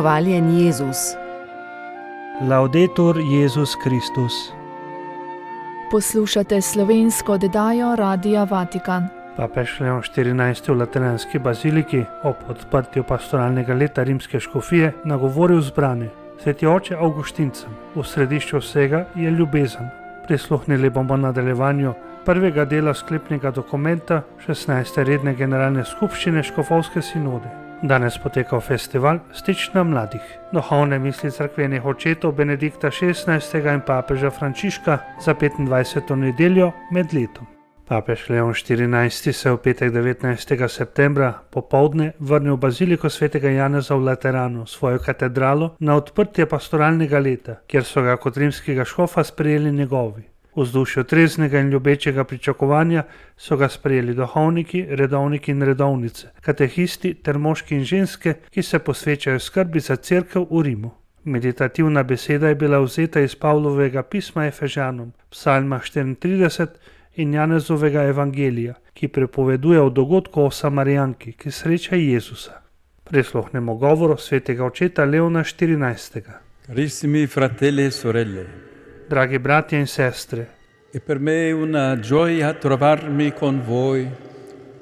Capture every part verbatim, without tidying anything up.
Hvaljen Jezus. Laudetur Jezus Kristus. Poslušate slovensko oddajo Radia Vatikan. Papež Leon štirinajsti v Lateranski baziliki ob odprtju pastoralnega leta rimske škofije nagovoril zbrane. Sveti oče Avguštincem, v središču vsega je ljubezen. Prisluhnili bomo nadaljevanju prvega dela sklepnega dokumenta šestnajste redne generalne skupščine Škofovske sinode. Danes potekal festival Stična mladih, duhovne misli cerkvenih očetov Benedikta šestnajstega in papeža Frančiška za petindvajseto nedeljo med letom. Papež Leon štirinajsti se v petek devetnajstega septembra popoldne vrnil v baziliko svetega Janeza v Lateranu, svojo katedralo, na odprtje pastoralnega leta, kjer so ga kot rimskega škofa sprejeli njegovi. V vzdušju treznega in ljubečega pričakovanja so ga sprejeli duhovniki, redovniki in redovnice, katehisti ter moški in ženske, ki se posvečajo skrbi za cerkev v Rimu. Meditativna beseda je bila vzeta iz Pavlovega pisma Efežanom, psalma štiriintrideset in Janezovega evangelija, ki prepoveduje o dogodku o Samarijanki, ki sreča Jezusa. Prisluhnemo govoru svetega očeta Leona štirinajstega. Carissimi fratelli e sorelle, Dragi bratje in sestre, è per me una gioia trovarmi con voi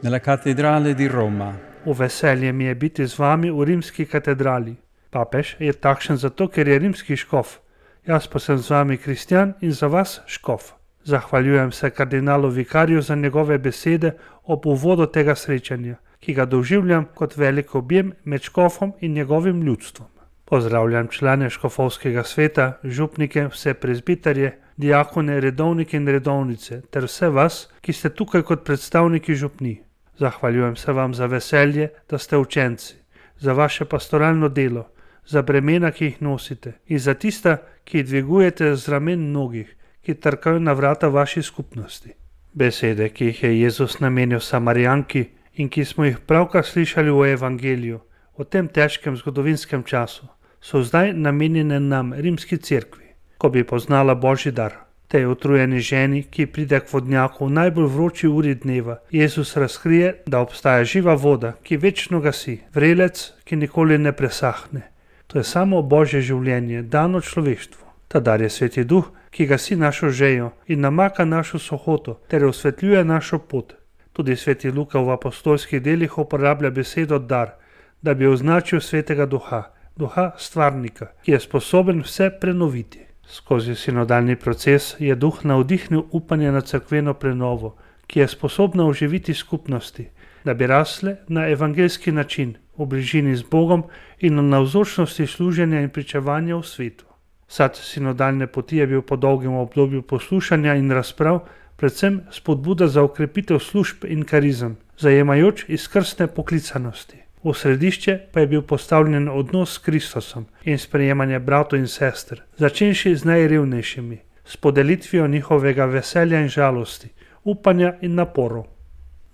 nella cattedrale di Roma. v veselje mi je biti z vami v rimski katedrali. Papež je takšen zato, ker je rimski škof. Jaz pa sem z vami kristjan in za vas škof. Zahvaljujem se kardinalu vikarju za njegove besede ob uvodu tega srečanja, ki ga doživljam kot velik objem med škofom in njegovim ljudstvom. Pozdravljam člane škofovskega sveta, župnike, vse prezbiterje, diakone, redovnike in redovnice ter vse vas, ki ste tukaj kot predstavniki župnij. Zahvaljujem se vam za veselje, da ste učenci, za vaše pastoralno delo, za bremena, ki jih nosite in za tista, ki jih dvigujete z ramen mnogih, ki trkajo na vrata vaši skupnosti. Besede, ki jih je Jezus namenil Samarijanki in ki smo jih pravkar slišali v evangeliju, v tem težkem zgodovinskem času, so zdaj namenjene nam, rimski cerkvi, ko bi poznala Božji dar. Tej utrujeni ženi, ki pride k vodnjaku v najbolj vroči uri dneva, Jezus razkrije, da obstaja živa voda, ki večno gasi, vrelec, ki nikoli ne presahne. To je samo Božje življenje, dano človeštvu. Ta dar je Sveti Duh, ki gasi našo žejo in namaka našo sohoto ter osvetljuje našo pot. Tudi Sveti Luka v apostolskih delih uporablja besedo dar, da bi označil Svetega Duha, Duha stvarnika, ki je sposoben vse prenoviti. Skozi sinodalni proces je Duh navdihnil upanje na cerkveno prenovo, ki je sposobna oživiti skupnosti, da bi rasle na evangeljski način, v bližini z Bogom in v navzočnosti služenja in pričevanja v svetu. Sad sinodalne poti je bil po dolgem obdobju poslušanja in razprav predvsem spodbuda za okrepitev služb in karizem, zajemajoč izkrstne poklicanosti. V središče pa je bil postavljen odnos s Kristusom in sprejemanje bratov in sester, začenši z najrevnejšimi, s podelitvijo njihovega veselja in žalosti, upanja in naporov.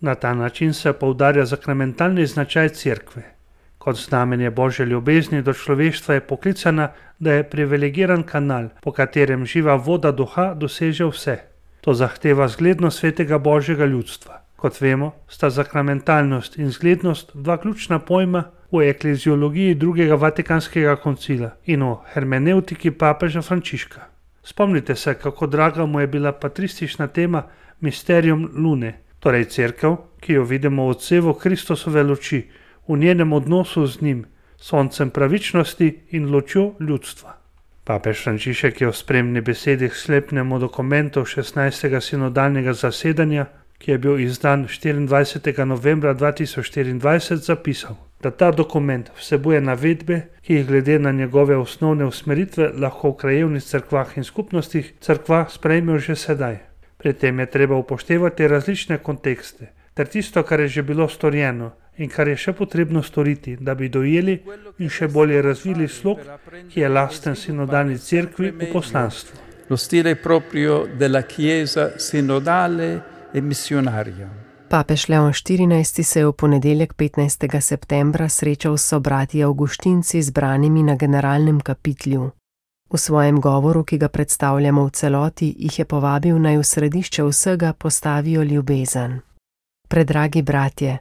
Na ta način se poudarja sakramentalni značaj cerkve. Kot znamenje Božje ljubezni do človeštva je poklicana, da je privilegiran kanal, po katerem živa voda duha doseže vse. To zahteva zglednost svetega Božjega ljudstva. Kot vemo, sta sakramentalnost in zglednost dva ključna pojma v ekleziologiji drugega Vatikanskega koncila in v hermeneutiki papeža Frančiška. Spomnite se, kako draga mu je bila patristična tema Mysterium Lune, torej cerkev, ki jo vidimo v odsevu Kristusove luči, v njenem odnosu z njim, soncem pravičnosti in lučjo ljudstva. Papež Frančišek je v spremni besedi k sklepnemu dokumentu šestnajstega sinodalnega zasedanja, ki je bil izdan štiriindvajsetega novembra dva tisoč štiriindvajset, zapisal, da ta dokument vsebuje navedbe, ki jih glede na njegove osnovne usmeritve lahko v krajevnih cerkvah in skupnostih cerkva sprejmejo že sedaj. Pri tem je treba upoštevati različne kontekste, ter tisto, kar je že bilo storjeno in kar je še potrebno storiti, da bi dojeli in še bolje razvili slog, ki je lasten sinodalni cerkvi v poslanstvu. Lo stile proprio della Chiesa sinodale e missionaria. Papež Leon štirinajsti se je v ponedeljek petnajstega septembra srečal s sobrati Avguštinci zbranimi na generalnem kapitlju. V svojem govoru, ki ga predstavljamo v celoti, jih je povabil, naj v središče vsega postavijo ljubezen. Predragi bratje,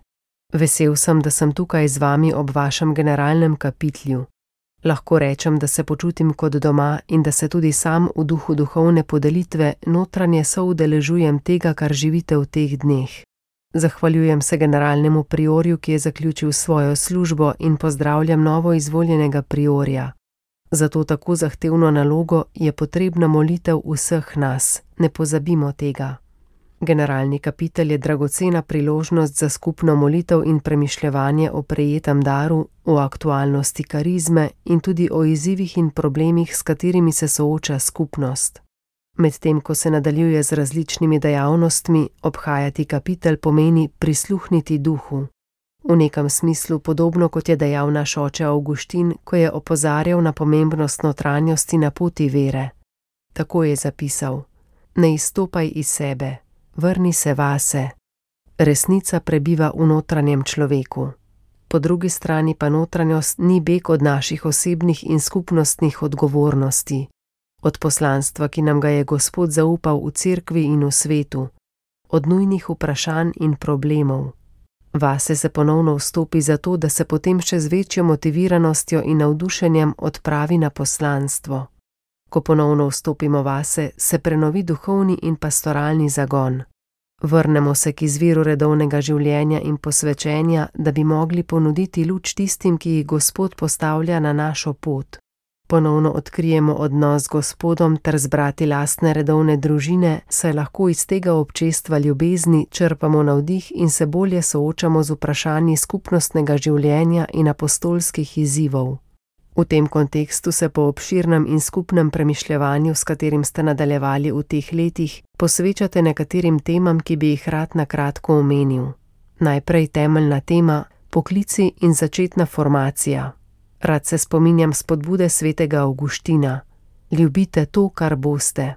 vesel sem, da sem tukaj z vami ob vašem generalnem kapitlju. Lahko rečem, da se počutim kot doma in da se tudi sam v duhu duhovne podelitve notranje soudeležujem tega, kar živite v teh dneh. Zahvaljujem se generalnemu priorju, ki je zaključil svojo službo, in pozdravljam novo izvoljenega priorja. Za to tako zahtevno nalogo je potrebna molitev vseh nas, ne pozabimo tega. Generalni kapitelj je dragocena priložnost za skupno molitev in premišljevanje o prejetem daru, o aktualnosti karizme in tudi o izzivih in problemih, s katerimi se sooča skupnost. Medtem ko se nadaljuje z različnimi dejavnostmi, obhajati kapitelj pomeni prisluhniti duhu. V nekem smislu podobno, kot je dejal naš oče Avguštin, ko je opozarjal na pomembnost notranjosti na poti vere. Tako je zapisal: ne izstopaj iz sebe, vrni se vase. Resnica prebiva v notranjem človeku. Po drugi strani pa notranjost ni beg od naših osebnih in skupnostnih odgovornosti, od poslanstva, ki nam ga je Gospod zaupal v cerkvi in v svetu, od nujnih vprašanj in problemov. Vase se ponovno vstopi zato, da se potem še z večjo motiviranostjo in navdušenjem odpravi na poslanstvo. Ko ponovno vstopimo vase, se prenovi duhovni in pastoralni zagon. Vrnemo se k izviru redovnega življenja in posvečenja, da bi mogli ponuditi luč tistim, ki jih Gospod postavlja na našo pot. Ponovno odkrijemo odnos z Gospodom ter zbrati lastne redovne družine, saj lahko iz tega občestva ljubezni črpamo navdih in se bolje soočamo z vprašanji skupnostnega življenja in apostolskih izzivov. V tem kontekstu se po obširnem in skupnem premišljevanju, s katerim ste nadaljevali v teh letih, posvečate nekaterim temam, ki bi jih rad na kratko omenil. Najprej temeljna tema: poklici in začetna formacija. Rad se spominjam spodbude svetega Avguština: ljubite to, kar boste.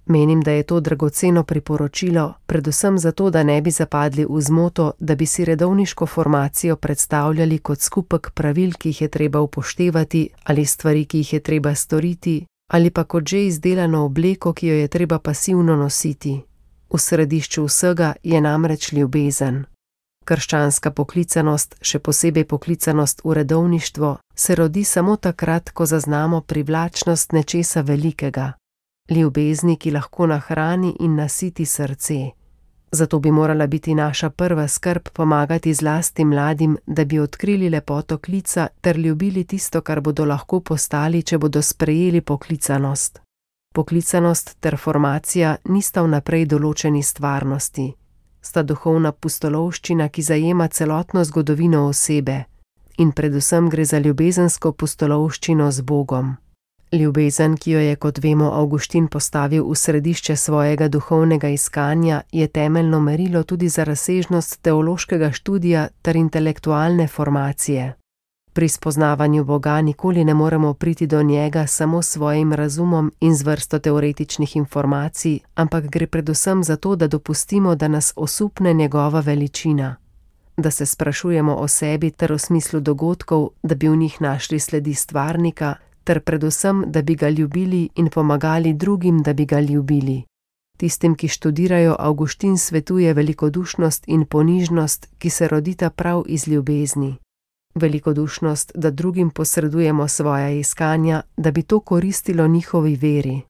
Menim, da je to dragoceno priporočilo, predvsem zato, da ne bi zapadli v zmoto, da bi si redovniško formacijo predstavljali kot skupek pravil, ki jih je treba upoštevati, ali stvari, ki jih je treba storiti, ali pa kot že izdelano obleko, ki jo je treba pasivno nositi. V središču vsega je namreč ljubezen. Krščanska poklicanost, še posebej poklicanost v redovništvo, se rodi samo takrat, ko zaznamo privlačnost nečesa velikega. Ljubezni, ki lahko nahrani in nasiti srce. Zato bi morala biti naša prva skrb pomagati zlasti mladim, da bi odkrili lepoto klica ter ljubili tisto, kar bodo lahko postali, če bodo sprejeli poklicanost. Poklicanost ter formacija nista vnaprej določeni stvarnosti. Sta duhovna pustolovščina, ki zajema celotno zgodovino osebe, in predvsem gre za ljubezensko pustolovščino z Bogom. Ljubezen, ki jo je, kot vemo, Avguštin postavil v središče svojega duhovnega iskanja, je temeljno merilo tudi za razsežnost teološkega študija ter intelektualne formacije. Pri spoznavanju Boga nikoli ne moremo priti do njega samo s svojim razumom in z vrsto teoretičnih informacij, ampak gre predvsem za to, da dopustimo, da nas osupne njegova veličina. Da se sprašujemo o sebi ter o smislu dogodkov, da bi v njih našli sledi stvarnika, ter predvsem, da bi ga ljubili in pomagali drugim, da bi ga ljubili. Tistim, ki študirajo, Avguštin svetuje velikodušnost in ponižnost, ki se rodita prav iz ljubezni. Velikodušnost, da drugim posredujemo svoja iskanja, da bi to koristilo njihovi veri.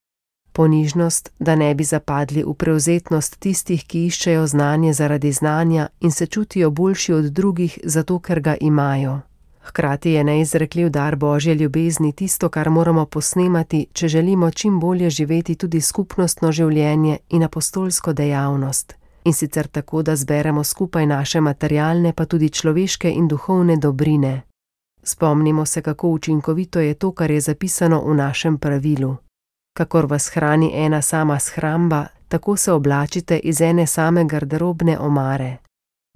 Ponižnost, da ne bi zapadli v prevzetnost tistih, ki iščejo znanje zaradi znanja in se čutijo boljši od drugih, zato ker ga imajo. Hkrati je neizrekljiv dar Božje ljubezni tisto, kar moramo posnemati, če želimo čim bolje živeti tudi skupnostno življenje in apostolsko dejavnost. In sicer tako, da zberemo skupaj naše materialne, pa tudi človeške in duhovne dobrine. Spomnimo se, kako učinkovito je to, kar je zapisano v našem pravilu. Kakor vas hrani ena sama shramba, tako se oblačite iz ene same garderobne omare.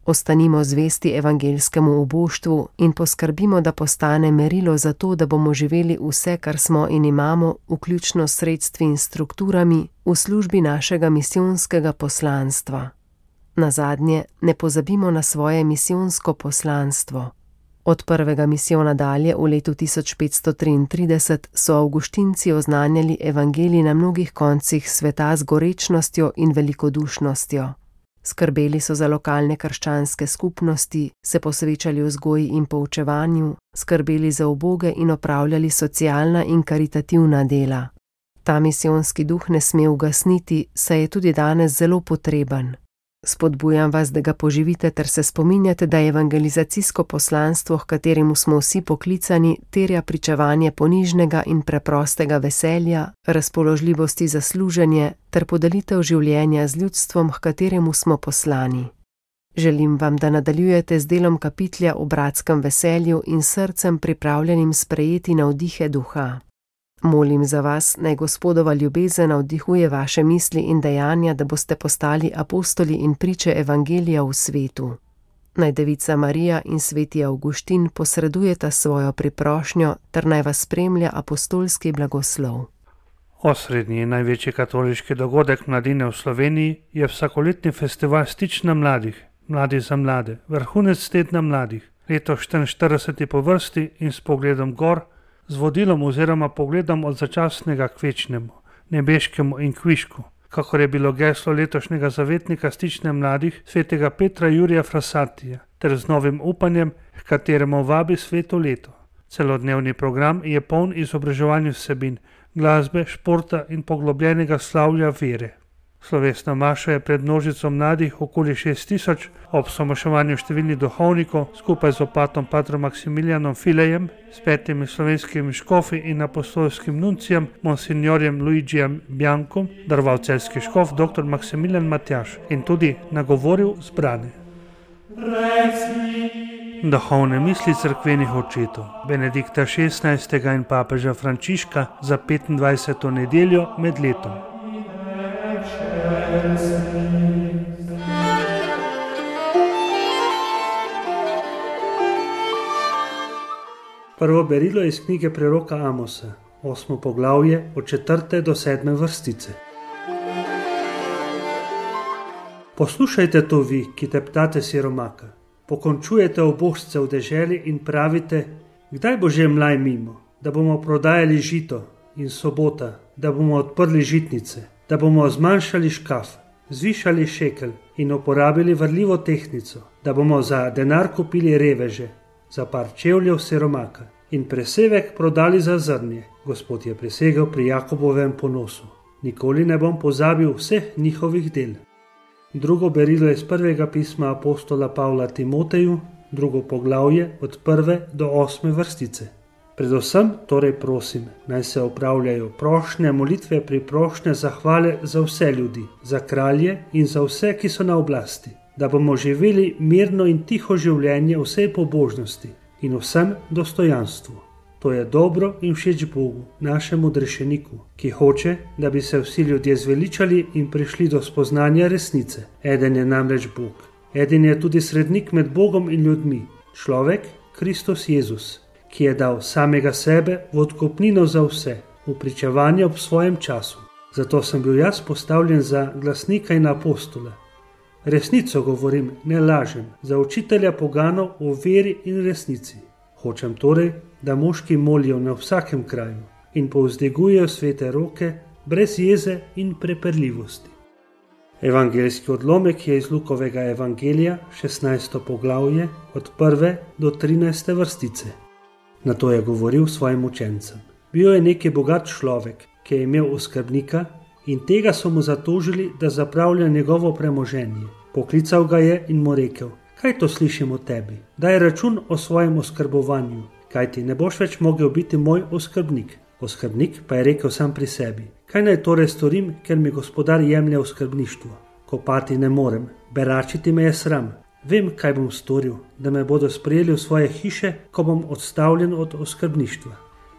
Ostanimo zvesti evangeljskemu uboštvu in poskrbimo, da postane merilo za to, da bomo živeli vse, kar smo in imamo, vključno s sredstvi in strukturami, v službi našega misijonskega poslanstva. Nazadnje, ne pozabimo na svoje misijonsko poslanstvo. Od prvega misijona dalje v letu tisoč petsto triintrideset so Avguštinci oznanjali evangelij na mnogih koncih sveta z gorečnostjo in velikodušnostjo. Skrbeli so za lokalne krščanske skupnosti, se posvečali vzgoji in poučevanju, skrbeli za uboge in opravljali socialna in karitativna dela. Ta misijonski duh ne sme ugasniti, saj je tudi danes zelo potreben. Spodbujam vas, da ga poživite ter se spominjate, da evangelizacijsko poslanstvo, h kateremu smo vsi poklicani, terja pričevanje ponižnega in preprostega veselja, razpoložljivosti za služenje ter podelitev življenja z ljudstvom, h kateremu smo poslani. Želim vam, da nadaljujete z delom kapitlja o bratskem veselju in srcem pripravljenim sprejeti navdihe duha. Molim za vas, naj Gospodova ljubezen navdihuje vaše misli in dejanja, da boste postali apostoli in priče evangelija v svetu. Naj Devica Marija in sveti Avguštin posredujeta svojo priprošnjo ter naj vas spremlja apostolski blagoslov. Osrednji in največji katoliški dogodek mladine v Sloveniji je vsakoletni festival Stična mladih, Mladi za mlade, vrhunec tedna mladih, leto štiriinštirideseti po vrsti in s pogledom gor, z vodilom oziroma pogledom od začasnega k večnemu, nebeškemu in kvišku, kakor je bilo geslo letošnjega zavetnika Stične mladih svetega Petra Jurija Frassatija, ter z novim upanjem, h kateremu vabi sveto leto. Celodnevni program je poln izobraževalnih vsebin, glasbe, športa in poglobljenega slavja vere. Slovesna maša je pred množico mladih okoli šest tisoč, ob somoševanju številnih duhovnikov, skupaj z opatom patrom Maksimilijanom Filejem, s petimi slovenskimi škofi in apostolskim nuncijem, monsignorjem Luigijem Biankom, daroval celjski škof dr. Maksimilijan Matjaž in tudi nagovoril zbrane. Duhovne misli cerkvenih očetov Benedikta šestnajstega in papeža Frančiška za petindvajseto nedeljo med letom. Prvo berilo iz knjige preroka Amosa, osmo poglavje od četrte do sedme vrstice. Poslušajte to vi, ki teptate siromaka, pokončujete obožce v deželi in pravite, kdaj bo že mlaj mimo, da bomo prodajali žito in sobota, da bomo odprli žitnice, da bomo zmanjšali škaf, zvišali šekel in uporabili vrljivo tehnico, da bomo za denar kupili reveže, za par čevljev siromaka in presevek prodali za zrnje. Gospod je prisegel pri Jakobovem ponosu. Nikoli ne bom pozabil vseh njihovih del. Drugo berilo je iz prvega pisma apostola Pavla Timoteju, drugo poglavje od prve do osme vrstice. Predvsem torej prosim, naj se opravljajo prošnje, molitve, priprošnje, zahvale za vse ljudi, za kralje in za vse, ki so na oblasti, da bomo živeli mirno in tiho življenje vsej pobožnosti in vsem dostojanstvu. To je dobro in všeč Bogu, našemu odrešeniku, ki hoče, da bi se vsi ljudje zveličali in prišli do spoznanja resnice. Eden je namreč Bog. Eden je tudi srednik med Bogom in ljudmi, človek Kristus Jezus, ki je dal samega sebe v odkupnino za vse, v pričevanje ob svojem času. Zato sem bil jaz postavljen za glasnika in apostola. Resnico govorim, ne lažem, za učitelja poganov v veri in resnici. Hočem torej, da moški molijo na vsakem kraju in povzdigujejo svete roke brez jeze in prepirljivosti. Evangeljski odlomek je iz Lukovega evangelija, šestnajsto poglavje, od prve do trinajste vrstice. Nato je govoril svojim učencem. Bil je neki bogat človek, ki je imel oskrbnika in tega so mu zatožili, da zapravlja njegovo premoženje. Poklical ga je in mu rekel, kaj to slišim o tebi? Daj račun o svojem oskrbovanju, kaj ti ne boš več mogel biti moj oskrbnik. Oskrbnik pa je rekel sam pri sebi, kaj naj torej storim, ker mi gospodar jemlje oskrbništvo? Kopati ne morem, beračiti me je sram. Vem, kaj bom storil, da me bodo sprejeli v svoje hiše, ko bom odstavljen od oskrbništva.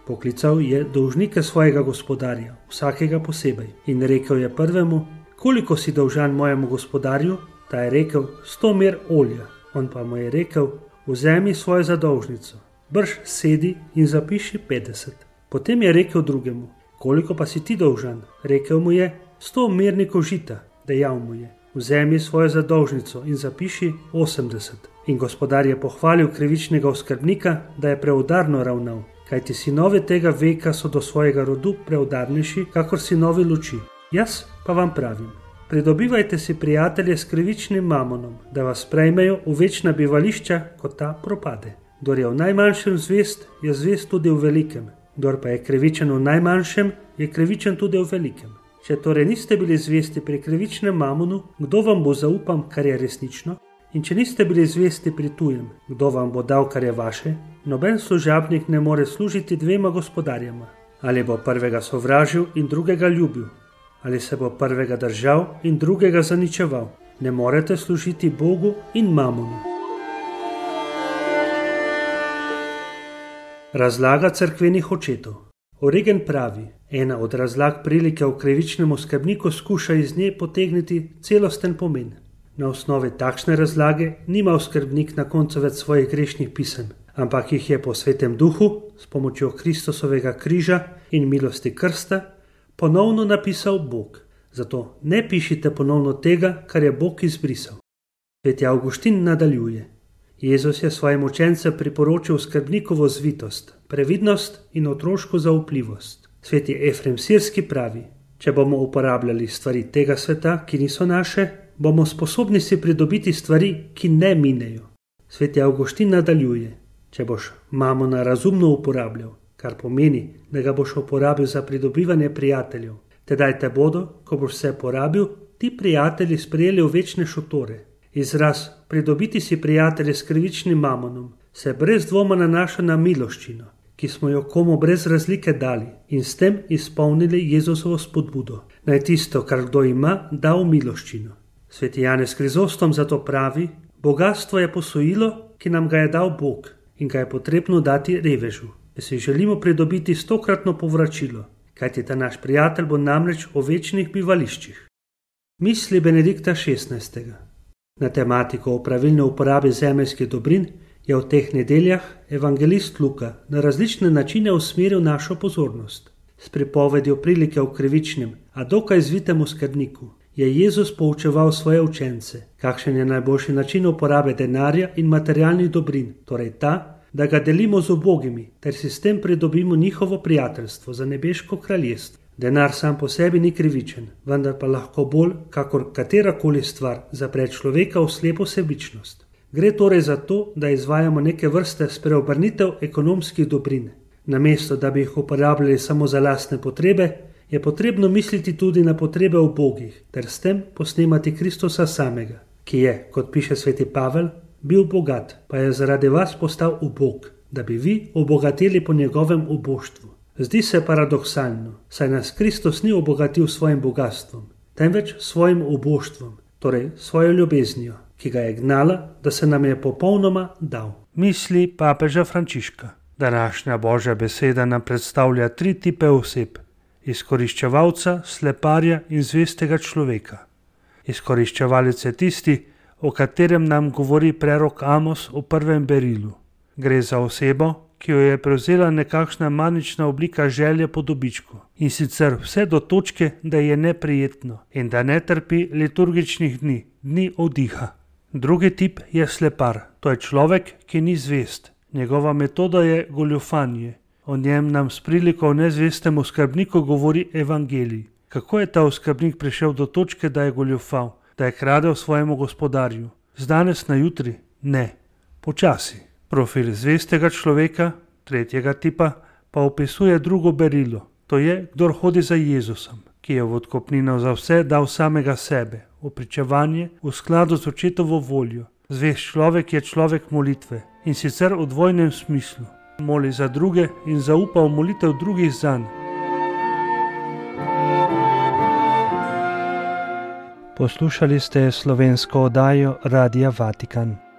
Poklical je dolžnike svojega gospodarja, vsakega posebej, in rekel je prvemu, koliko si dolžan mojemu gospodarju? Ta je rekel, sto mer olja. On pa mu je rekel, vzemi svojo zadolžnico, brž sedi in zapiši petdeset. Potem je rekel drugemu, koliko pa si ti dolžan? Rekel mu je, sto mernikov žita. Dejal mu je, vzemi svojo zadolžnico in zapiši osemdeset. In gospodar je pohvalil krivičnega oskrbnika, da je preudarno ravnal, kajti sinovi tega veka so do svojega rodu preudarnejši, kakor sinovi luči. Jaz pa vam pravim, Pridobivajte si prijatelje s krivičnim mamonom, da vas sprejmejo v večna bivališča, ko ta propade. Kdor je v najmanjšem zvest, je zvest tudi v velikem. Kdor pa je krivičen v najmanjšem, je krivičen tudi v velikem. Če torej niste bili zvesti pri krivičnem mamonu, kdo vam bo zaupal, kar je resnično? In če niste bili zvesti pri tujem, kdo vam bo dal, kar je vaše? Noben služabnik ne more služiti dvema gospodarjema. Ali bo prvega sovražil in drugega ljubil, ali se bo prvega držal in drugega zaničeval. Ne morete služiti Bogu in mamonu. Razlaga cerkvenih očetov. Origen pravi, ena od razlag prilike v krivičnemu skrbniku skuša iz nje potegniti celosten pomen. Na osnovi takšne razlage nima skrbnik na koncu več svojih grešnih pisem, ampak jih je po svetem duhu, s pomočjo Kristusovega križa in milosti krsta, ponovno napisal Bog. Zato ne pišite ponovno tega, kar je Bog izbrisal. Sveti Avguštin nadaljuje. Jezus je svojim učencem priporočil skrbnikovo zvitost, previdnost in otroško zaupljivost. Sveti Efrem Sirski pravi, če bomo uporabljali stvari tega sveta, ki niso naše, bomo sposobni si pridobiti stvari, ki ne minejo. Sveti Avguštin nadaljuje, če boš mamona razumno uporabljal, kar pomeni, da ga boš uporabil za pridobivanje prijateljev, tedaj te bodo, ko boš vse porabil, ti prijatelji sprejeli v večne šotore. Izraz pridobiti si prijatelje s krivičnim mamonom se brez dvoma nanaša na miloščino, ki smo jo komu brez razlike dali in s tem izpolnili Jezusovo spodbudo. Naj tisto, kar kdo ima, da v miloščino. Sveti Janez Krizostom zato pravi, bogastvo je posojilo, ki nam ga je dal Bog in ga je potrebno dati revežu. Če si želimo pridobiti stokratno povračilo, kajti ta naš prijatelj bo namreč v večnih bivališčih. Misli Benedikta šestnajstega. Na tematiko o pravilni uporabi zemeljskih dobrin je v teh nedeljah evangelist Luka na različne načine usmeril našo pozornost. S pripovedjo prilike v krivičnem, a dokaj zvitemu skrbniku, je Jezus poučeval svoje učence, kakšen je najboljši način uporabe denarja in materialnih dobrin, torej ta, da ga delimo z ubogimi, ter si s tem pridobimo njihovo prijateljstvo za nebeško kraljestvo. Denar sam po sebi ni krivičen, vendar pa lahko bolj, kakor katerakoli stvar, zapre človeka v slepo sebičnost. Gre torej za to, da izvajamo neke vrste spreobrnitev ekonomskih dobrin. Namesto, da bi jih uporabljali samo za lastne potrebe, je potrebno misliti tudi na potrebe ubogih, ter s tem posnemati Kristusa samega, ki je, kot piše sveti Pavel, bil bogat, pa je zaradi vas postal ubog, da bi vi obogateli po njegovem uboštvu. Zdi se paradoksalno, saj nas Kristus ni obogatil svojim bogatstvom, temveč svojim uboštvom, torej svojo ljubeznijo, ki ga je gnala, da se nam je popolnoma dal. Misli papeža Frančiška. Današnja Božja beseda nam predstavlja tri tipe oseb: izkoriščevalca, sleparja in zvestega človeka. Izkoriščevalec je tisti, o katerem nam govori prerok Amos v prvem berilu. Gre za osebo, ki jo je prevzela nekakšna manična oblika želje po dobičku, in sicer vse do točke, da je neprijetno in da ne trpi liturgičnih dni, dni oddiha. Drugi tip je slepar, to je človek, ki ni zvest. Njegova metoda je goljufanje. O njem nam s priliko o nezvestemu skrbniku govori evangelij. Kako je ta oskrbnik prišel do točke, da je goljufal, da je kradel svojemu gospodarju? Z danes na jutri? Ne. Počasi. Profil zvestega človeka, tretjega tipa, pa opisuje drugo berilo. To je, kdor hodi za Jezusom, ki je v odkupnino za vse dal samega sebe, v pričevanje, v skladu z očetovo voljo. Zvest človek je človek molitve, in sicer v dvojnem smislu. Moli za druge in zaupa v molitev drugih zanj. Poslušali ste slovensko oddajo Radia Vatikan.